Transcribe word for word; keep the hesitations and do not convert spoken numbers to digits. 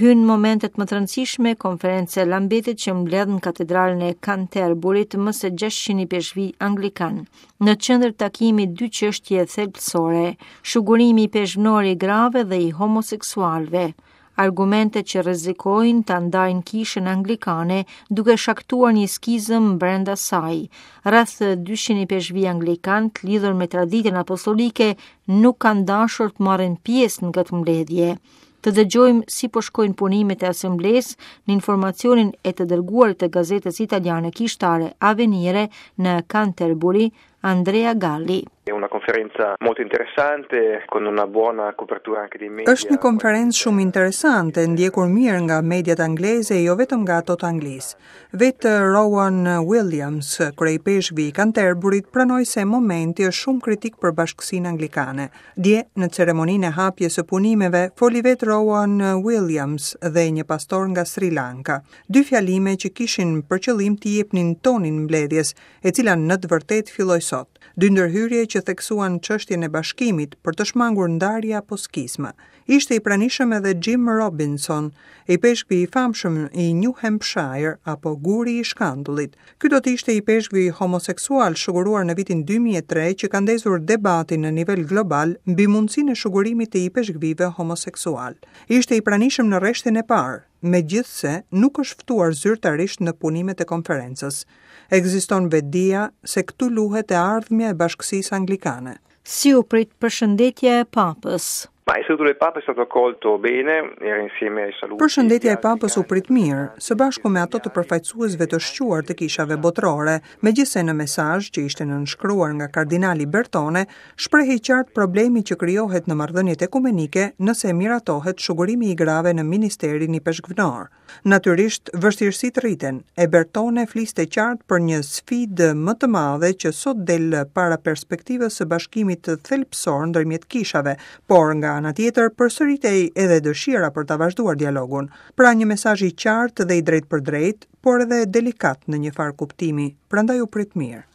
Hyn momentet më të rëndësishme konferenca e Lambetit që mbledh në katedralen e Canterburyt më se gjashtëqind ipeshkvi anglikan. Në qendër takimi dy çështje thelbësore, shugurimi ipeshkvnor i grave dhe i homoseksualëve, argumente që rrezikojnë ta ndajnë kishën anglikane duke shkaktuar një skizëm brenda saj. Rreth dyqind ipeshkvi anglikan të lidhur me traditën apostolike nuk kanë dashur të marrin pjesë në këtë mbledhje. Të dëgjojmë si po shkojnë punimet e asamblesë në informacionin e të dërguarit të gazetës italiane kishtare Avvenire në Canterbury, Andrea Galli. È una conferenza molto interessante con una buona copertura anche dei media. Është një konferencë shumë interesante, ndjekur mirë nga mediat angleze, jo vetëm nga ato të Anglisë. Vetë Rowan Williams, kryeipeshkvi i Canterburyt, pranoi se momenti është shumë kritik për bashkësinë anglikane. Dje, në ceremoninë e hapjes së punimeve, foli vetë Rowan Williams dhe një pastor nga Sri Lanka. Dy fjalime që kishin për qëllim të jepnin tonin mbledhjes, e cila në të vërtetë filloi sot. Dy ndërhyrje që theksuan çështjen e bashkimit për të shmangur ndarje apo skizma. Ishte i pranishëm edhe Jim Robinson, ipeshkvi i famshëm i New Hampshire apo Guri i Shkandullit. Ky do të ishte ipeshkvi homoseksual shuguruar në vitin dy mijë e tre që ka ndezur debatin në nivel global mbi mundësinë e shugurimit të ipeshkvive homoseksual. Ishte i pranishëm në rreshtin e parë, megjithse nuk është ftuar zyrtarisht në punimet e konferencës. Ekziston vetëdija se këtu luhet e ardhmja e bashkësisë anglikane. Si u prit përshëndetja e Papës? Ma il saluto del Papa è stato accolto bene, era insieme ai saluti. Përshëndetja e Papës u prit mirë, së bashku me ato të përfaqësuesve të shquar të kishave botërore, megjithse në mesazh që ishte nënshkruar nga kardinali Bertone, shprehej qartë problemi që krijohet në marrëdhëniet ekumenike nëse miratohet shugurimi i grave në ministerin ipeshkvnor. Natyrisht, vështirësitë rriten, e Bertone fliste qartë për një sfidë më të madhe që sot del para perspektivës së bashkimit thelbësor ndërmjet kishave, por nga ana tjetër përsëritej edhe dëshira për ta vazhduar dialogun. Pra një mesazh i qartë dhe i drejtpërdrejt, por edhe delikat në një farë kuptimi, prandaj u prit mirë.